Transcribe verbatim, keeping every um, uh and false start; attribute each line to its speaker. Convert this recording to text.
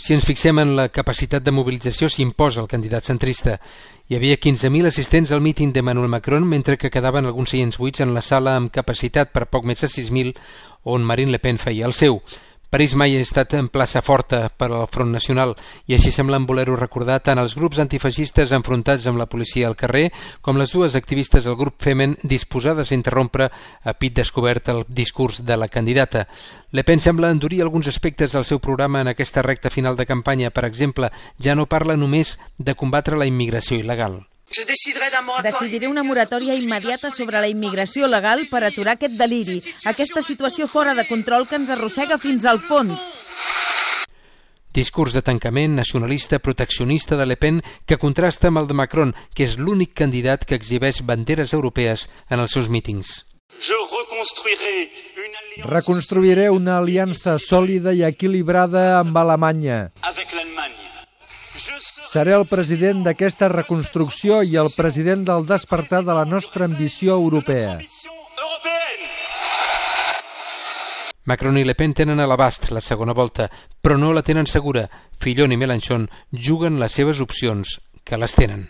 Speaker 1: Si ens fixem en la capacitat de mobilització, s'imposa el candidat centrista. Hi havia quinze mil assistents al míting d'Emmanuel Macron, mentre que quedaven alguns seients buits en la sala amb capacitat per poc més de sis mil, on Marine Le Pen feia el seu. París mai ha estat en plaça forta per al Front Nacional i així semblen voler-ho recordar tant els grups antifeixistes enfrontats amb la policia al carrer com les dues activistes del grup Femen disposades a interrompre a pit descobert el discurs de la candidata. Le Pen sembla endurir alguns aspectes del seu programa en aquesta recta final de campanya. Per exemple, ja no parla només de combatre la immigració il·legal.
Speaker 2: Decidiré una moratòria immediata sobre la immigració legal per aturar aquest deliri, aquesta situació fora de control que ens arrossega fins al fons.
Speaker 1: Discurs de tancament, nacionalista, proteccionista de Le Pen que contrasta amb el de Macron, que és l'únic candidat que exhibeix banderes europees en els seus mítings.
Speaker 3: Reconstruiré una aliança sòlida i equilibrada amb Alemanya. Seré el president d'aquesta reconstrucció i el president del despertar de la nostra ambició europea.
Speaker 1: Macron i Le Pen tenen a l'abast la segona volta, però no la tenen segura. Fillon i Mélenchon juguen les seves opcions, que les tenen.